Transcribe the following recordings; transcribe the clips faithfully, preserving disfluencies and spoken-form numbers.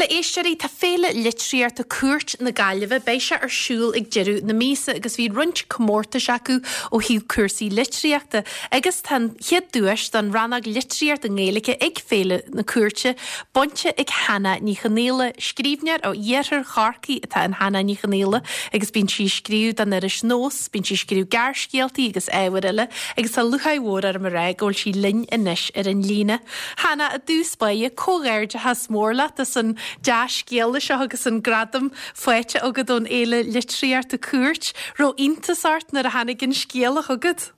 éisteoirí tá Féile Litríochta Cúirt na Gaillimhe beidh sé ar siúl ag deireadh na míosa agus bhí roinnt comórtais acu ó thaobh cúrsaí litríochta agus tá an chéad duais don rannóg litríocht i nGaeilge ag Féile na Cúirte bainte ag Hannah Ní Chonaola, scríbhneoir ó iarthar Chorcaí atá in Hannah Ní Chonaola agus bíonn sí ag scríobh don iris Nós, bíonn sí ag scríobh gearrscéaltaí agus ábhair eile agus tá lúcháir mhór orm a rá go bhfuil sí linn anois ar an líne. Hannah i dtús báire comhghairdeachas mór leat as an dea-scéala seo agus an gradam faighte agat ón Fhéile Litríochta Cúirt, raibh iontas ort nuair a tháinig an scéala chugat.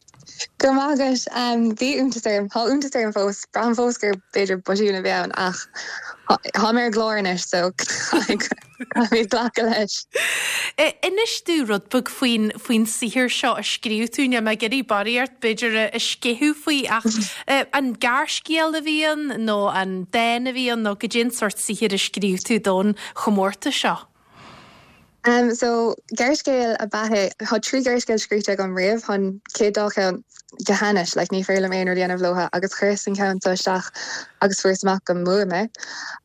Go maith agat bhí iontas orm tá iontas orm fós braithim fós gur b'fhéidir botún a bhí ann ach tá mé ar an gclár anois so mé glacadh leis. Inis domh rud beag faoin faoin saothar seo a scríobh tú níl mé ag iarraidh barraíocht b'fhéidir a sceitheadh faoi ach an gearrscéal a bhí ann nó an dán a bhí ann nó goidé an sórt saothair a scríobh tú don chomórtas seo. Um, so gearrscéal ab ea é tá trí gearrscéal scríte agam riamh an chéad dá cheann go hainnis like, ní féidir liom aon rud a dhéanamh leo agus chuireas an ceann seo isteach agus fuaireas amach go mbuaigh mé.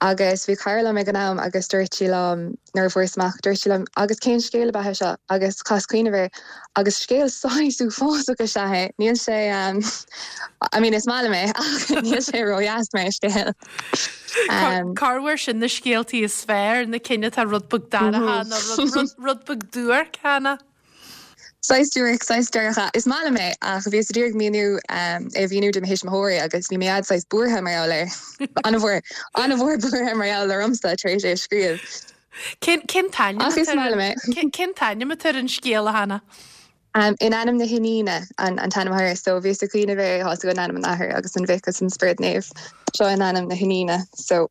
Agus bhí cara liom ag an am agus dúirt sí liom nuair a fuaireas amach dúirt sí liom agus cén scéal ab ea seo agus chas cuimhneamh air agus scéal saghas uafásach is ea é níl sé um, I mean is maith liom é ach níl sé ródheas mar scéal. Um, Corruair sin na scéaltaí is fearr na cinn atá rud beag dorcha nó rud, rud beag duairc cheana. Saghas duairc saghas dorcha is maith liom é ach bhíos ag iarraidh míniú um, é mhíniú do mo thuismitheoirí agus bhí mé saghas buartha mar gheall air an-mhór an-mhór buartha mar gheall ormsa tar éis é a scríobh. Cén cén t-ainm Ach is maith liom é. Cén t-ainm atá ar an scéal a Hannah? Um, in ainm na hIníne an, an t-ainm air, so bhíos ag cuimhneamh air tá in ainm an Athar agus an Mhic agus an Spiorad Naomh seo in ainm na hIníne so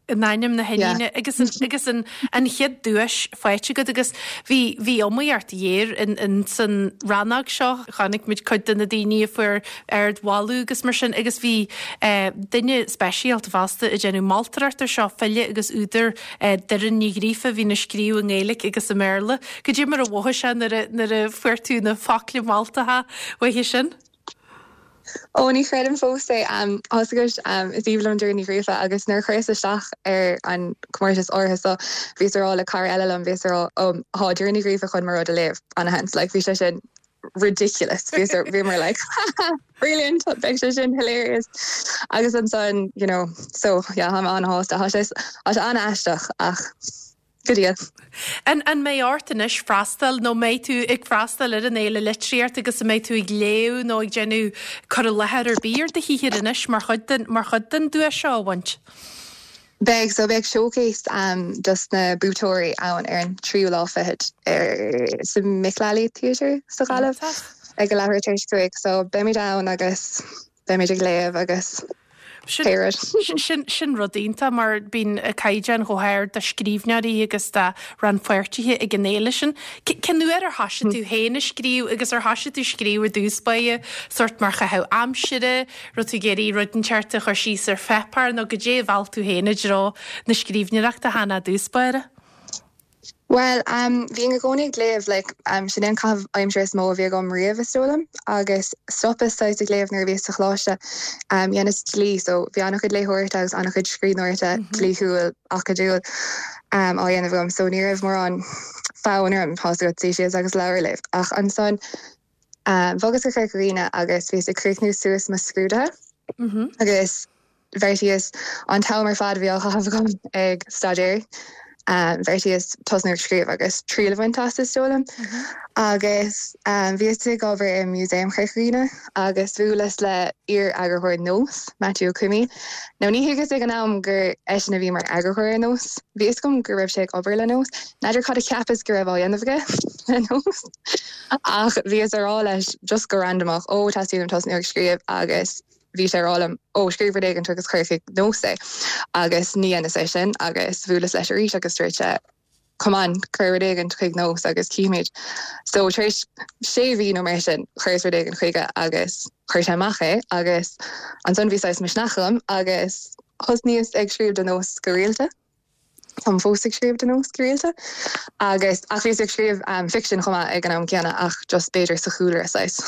in ainm na hIníne agus an, agus an, an chéad duais faighte agat agus bhí bhí iomaíocht ghéar in, in san rannóg seo chonaic muid cuid de na daoine a fuair ardmholadh agus mar sin agus bhí eh, duine speisialta fosta ag déanamh moltóireacht ar seo file agus údar eh, Doireann Ní Ghríofa bhí ag scríobh i nGaeilge agus i mBéarla. Goidé mar a mhothaigh sé nuair a- nuair a fuair tú na focla moltacha uaithi sin. Ó ní chreidim fós é um, agus um, is aoibhinn liom Doireann Ní Ghríofa agus nuair chuireas isteach ar an comórtas áirithe so bhíos ag rá le cara eile liom bhíos ag rá um, tá Doireann Ní Ghríofa chun mo rud a léamh ana-sheans like, bhí sé sin ridiculous bhí bhí mar like brilliant beidh sé sin hilarious agus ansan you know so yeah tá an-shásta tá sé tá sé an-aisteach ach go dtí. An an mbeidh ort anois freastal nó mbeidh tú ag freastal ar an fhéile litríocht agus an mbeidh tú ag léamh nó ag déanamh cur i láthair ar bith ar do shaothar anois mar chuid den mar chuid den duais seo a bhaint. Beidh so beidh showcase um, dos na buaiteoirí ann ar an tríú lá fichead ar sa Mick Lally Theatre sa Ghaillimh ag a leathuair tar éis cúig so beimid ann agus beimid ag léamh agus Sin, sin, sin, sin rud iontach mar bíonn caighdeán chomh hard do scríbhneoirí agus do rannpháirtithe ag an fhéile sin. Cén uair ar thosaigh tú féin ag scríobh agus ar thosaigh tú scríobh ar dtús báire sórt mar chaitheamh aimsire, raibh tú ag iarraidh rud inteacht a chur síos ar pháipéar nó goidé a mheall tú féin i dtreo na scríbhneoireachta Hannah i dtús báire. Well um, bhí i gcónaí ag léamh like, um, sin an caitheamh aimsire is mó a bhí agam riamh is dóigh liom agus stopas ag léamh nuair a bhí sa choláiste um, dheineas dlí so bhí an-chuid léitheoireachta agus an-chuid scríbhneoireachta mm -hmm. dlíthiúil acadúil um, á dhéanamh agam so ní raibh mórán fonn orm tá go síos agus leabhar a léamh ach ansan um, bhogas go Corca Dhuibhne agus bhíos ag críochnú suas mo scrúduithe Mm -hmm. agus bheartaíos an t-am ar fad bhí á chaitheamh agam ag staidéar. Um, bheartaíos tosnú ag scríobh agus triail a bhaint as is dóigh liom. Mm -hmm. agus um, bhíos ag obair i Museum Chorca Dhuibhne agus bhuaileas le iar-eagarthóir Nós Matthew Cumi. Nó ní thuigeas ag an am gur eisean a bhí mar eagarthóir ar Nós. Bhí gom go raibh sé ag obair le Nós. N'fheadar cad a cheapas go raibh á dhéanamh aige le Nós. Ach bhíos ag rá leis just go randomach ó teastaíonn tosnú ag scríobh agus bhí sé ag rá liom ó scríobh rud éigin agus cuir chuig Nós é agus ní dhéanas é sin agus bhuaileas leis arís agus dúirt sé come on cuir rud éigin chuig Nós agus cífimid. So tar éis sé mhí nó mar sin chuireas rud éigin chuige agus chuir sé amach é agus ansan bhí misneach agam agus thosnaíos ag scríobh do Nós go rialta. Táim fós ag scríobh do Nós go rialta agus ach bhíos ag scríobh um, fiction chomh maith ag an am céanna ach just b'fhéidir sa chúlra saghas.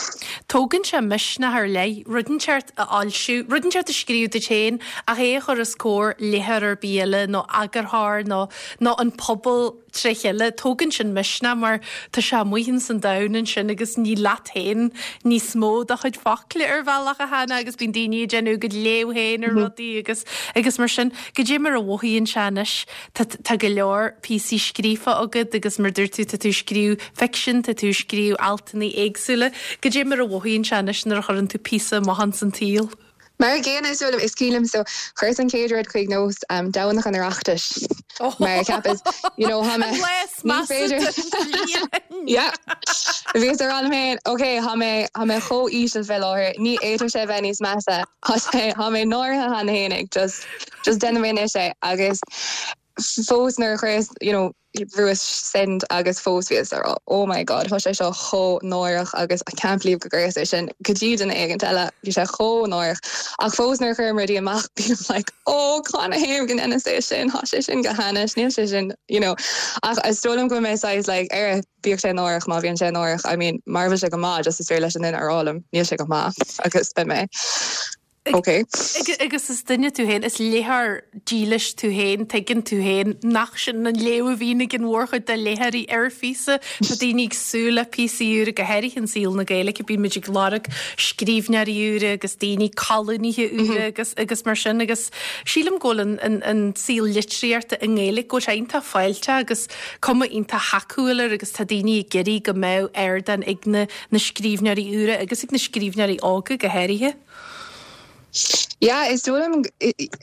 Tógann sé misneach ar leith, rud inteacht a fhoilsiú, rud inteacht a scríobh duit féin ach é a chur os comhair léitheoir ar bith eile nó eagarthóir nó nó an pobal trí chéile tógann sin misneach mar tá sé amuigh san domhan ansin agus ní leat féin níos mó do chuid focail ar bhealach a Hannah agus bíonn daoine ag déanamh go léamh féin ar mhm. rudaí agus agus mar sin goidé mar a mhothaíonn sé anois tá go leor píosaí scríofa agat agus mar dúirt tú tá tú scríobh fiction tá tú scríobh altanna éagsúla goidé mar a mhothaíonn sé anois nuair a chuireann tú píosa amach san tsaol. Mar gcéanna is is cuimhin liom so chuireas an chéad rud chuig Nós um, Domhnach an Oireachtais mar cheapas you know ha féidir Bhí ar an mé Ok tá mé tá mé chomh íseal fé láthair ní fhéadfadh sé bheith níos measa tá mé náirithe cheana féinig just just déanfaidh mé sé agus fós nuair chuireas you know bhrúas send agus fós bhíos ar oh my god tá sé seo chomh náireach agus I can't believe go gcuireas é sin go dtí duine éigin eile bhí sé chomh náireach ach fós nuair chuirim rudaí amach bím like oh canathaobh go ndeineas é sin tá sé sin go hainnis níl sé sin you know ach is dóigh liom go mé saghas like ar bíodh sé náireach má bhíonn sé náireach I mean mar bhí sé go maith just is féidir leis an duine a rá liom níl sé go maith agus be mé. Okay. Agus is duine tú féin is léitheoir dílis tú féin tuigeann tú féin nach sin an léamh a bhíonn ag an mhórchuid de léitheoirí ar phíosa Tá daoine ag súil le píosaí úra go háirithe in saol na Gaeilge bíonn muid ag lorg scríbhneoirí úra agus daoine colúnaithe úra agus agus mar sin agus sílim go bhfuil an, an, an saol litríochta i nGaeilge go sé iontach fáilte agus cuma iontach thacúil air agus tá daoine ag iarraidh go mbeadh ardán ag na, na scríbhneoirí úra agus ag na scríbhneoirí óga go háirithe. Ja, is dóigh liom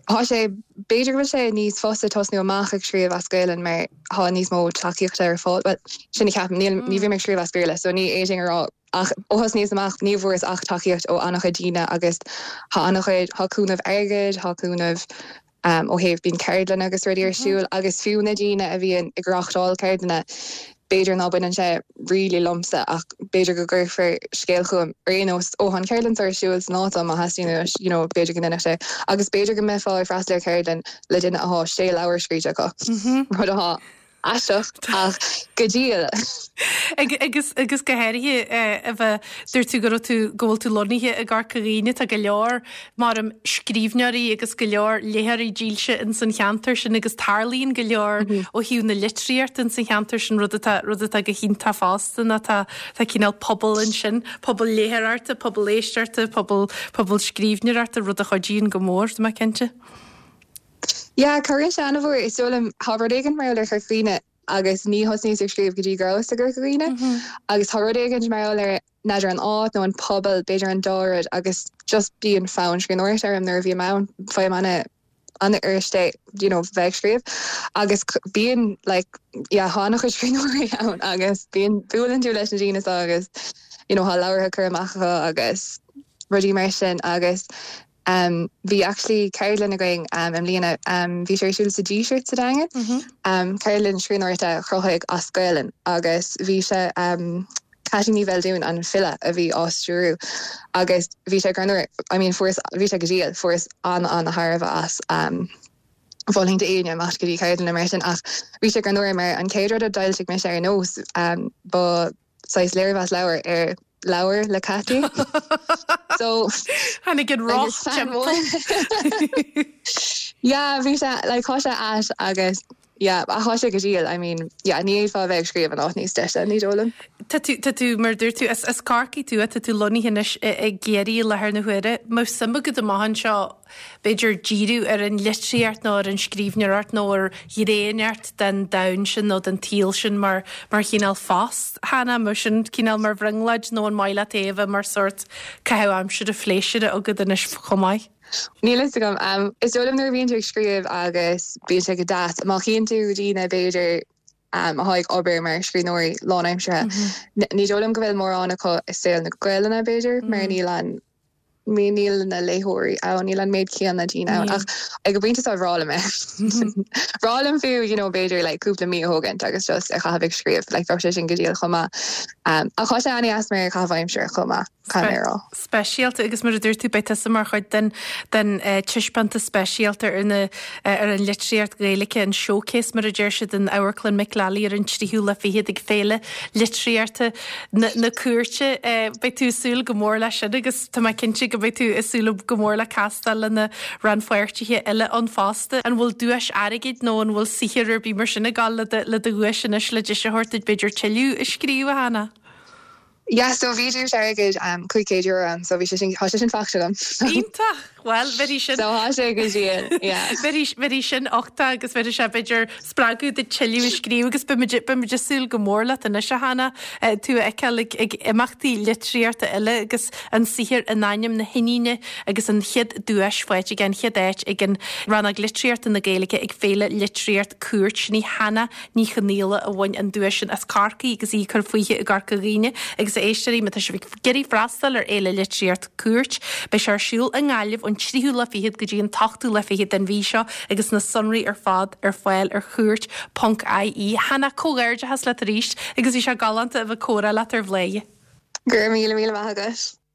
tá sé b'fhéidir go bhfuil sé níos fusa tosnú amach ag scríobh as Gaeilge mar tá níos mó tacaíochta ar fáil well, sin a cheapaim ní ní bhím ag scríobh as Béarla, so ní fhéadfainn a rá ach ó thosnaíos amach ní bhfuaireas ach tacaíocht ó an-chuid daoine agus tá an-chuid tá cúnamh airgid tá cúnamh um, ó thaobh bíonn ceardlanna agus rudaí ar siúl agus fiú na daoine a bhíonn ag reáchtáil ceardlanna b'fhéidir ná baineann sé really liomsa ach b'fhéidir go gcuirfear scéal chugam ar aon nós ó an ceardlann ar siúl san áit má theastaíonn you know b'fhéidir go ndéanfadh sé agus b'fhéidir go mbeifeá ag freastal ar cheardlann le duine atá sé leabhar scríte acu rud atá aisteach ach go diail. agus agus go háirithe a bheith dúirt tú go raibh tú go bhfuil tú lonnaithe i gCorca Dhuibhne tá go leor mar scríbhneoirí agus go leor léitheoirí dílse in san cheantar sin agus tarlaíonn go leor mm -hmm. ó thaobh na litríochta in san cheantar sin rud atá rud atá go hiontach fosta ná tá tá cineál pobal ansin, pobal léitheoireachta, pobal éisteachta, pobal pobal scríbhneoireachta rud a chuidíonn go mór mé cinnte. Ja, cabhraíonn sé an-mhór is dóigh liom tá rud éigin mar ar Chorca Dhuibhne agus ní thosnaíos ag scríobh go dtí go rabhas i gCorca Dhuibhne mm-hmm. agus tá rud éigin mar ar n'fheadar an áit nó an pobal b'fhéidir an dá rud agus just bíonn fonn scríbhneoireachta orm nuair a bhí ann fé anna anna ariste you know bheith scríobh agus bíonn like yeah tá an-chuid scríbhneoirí ann agus bíonn buaileann tú leis na daoine agus you know tá leabhartha curtha amach agus rudaí mar sin agus Um, bhí actually ceardlann againn um, i mbliana um, bhí sé ar siúl sa Díseart sa Daingean mm -hmm. um, ceardlann scríbhneoireachta chruthaithigh as Gaeilge agus bhí sé um, Ceaití Ní Bheildiúin an file a bhí á stiúradh agus bhí sé greannmhar I mean fuaireas bhí sé go diail fuaireas an an-tairbhe as um, Mholfainn d'aoinne imeacht go dtí ceardlann mar sin ach bhí sé greannmhar mar an chéad rud a d'fhoilsigh mise ar Nós um, ba saghas léirmheas leabhar ar leabhar le Ceaití. so Tháinig an roth Yeah, bhí sé like tá sé ait agus yeah, ach tá sé go diail I mean yeah, ní fhéadfá bheith ag scríobh in áit níos deise ní dóigh liom. Tá tú tá tú mar dúirt tú as as Corcaigh tú tá tú lonnaithe anois i gCiarraí i láthair na huaire. Má suim agat amach anseo b'fhéidir díriú ar an litríocht nó ar an scríbhneoireacht nó ar ghné den domhan sin nó den tsaol sin mar mar chineál phost Hannah mar sin cineál mar bhrionglóid nó an maith leat é a bheith mar sórt caitheamh aimsire phléisiúrtha agat anois chomh maith. Níl a fhios agam um, is dóigh liom nuair a bhíonn tú ag scríobh agus bíonn sé go deas má chíonn tú daoine b'fhéidir um, atá ag obair mar scríbhneoirí lánaimseartha. Mm -hmm. Ní dóigh liom go bhfuil mórán acu i saol na Gaeilge b'fhéidir mm -hmm. mar níl an níl na léitheoirí ann níl an méid céanna daoine ann ach ag an bpointe seo bhreá liom é. Bhreá liom fiú you know, b'fhéidir like, cúpla mí a thógaint agus just a chaitheamh ag scríobh like, bheadh sé sin go diail chomh maith. Um, ach tá sé an-deas mar chaitheamh aimsire chomh maith rá. Speisialta agus mar a dúirt tú beidh tusa mar chuid den den uh, taispeántas speisialta ar na uh, ar an litríocht Ghaeilge an showcase mar a deir siad in Amharclann Mick Lally ar an tríú lá fichead ag féile litríochta na, na cúirte uh, beidh tú ag súil go mór leis sin agus tá mé cinnte go mbeidh tú ag súil go mór le castáil le na rannpháirtithe eile ann fosta an bhfuil duais airgid nó an bhfuil saothar ar bith mar sin ag gabháil le le do dhuais anois le deis a thabhairt duit b'fhéidir tuilleadh a scríobh a Hannah. Yeah, so bhí duais airgid um, cúig chéad euro ann, so bhí sé sin tá sé sin faighte agam. Iontach well bhí sin So tá sé go diail Bhí sin ochta agus bhí sé b'fhéidir spreagadh duit tuilleadh a scríobh agus beimid ag súil go mór leat anois a Hannah tú a fheiceáil ag ag imeachtaí litríochta eile agus an saothar in ainm na hiníne agus an chéad duais faighte ag an chéad áit ag an rannóg litríochta na Gaeilge ag féile litríocht Cúirt sin í Hannah Ní Chonaola a bhain an duais sin as Corcaigh agus í ag cur fúithi i gCorca Dhuibhne agus a éisteoirí má tá sibh ag iarraidh freastal ar fhéile litríocht Cúirt, beidh sé ar siúl i nGaillimh ón tríú lá fichead go dtí an t-ochtú lá fichead den mhí seo agus na sonraí ar fad ar fáil ar cúirt ponc IE. Hannah comhghairdeachas leat arís agus bhí sé galánta a bheith ag comhrá leat ar Bhladhaire. Gur míle míle maith agat.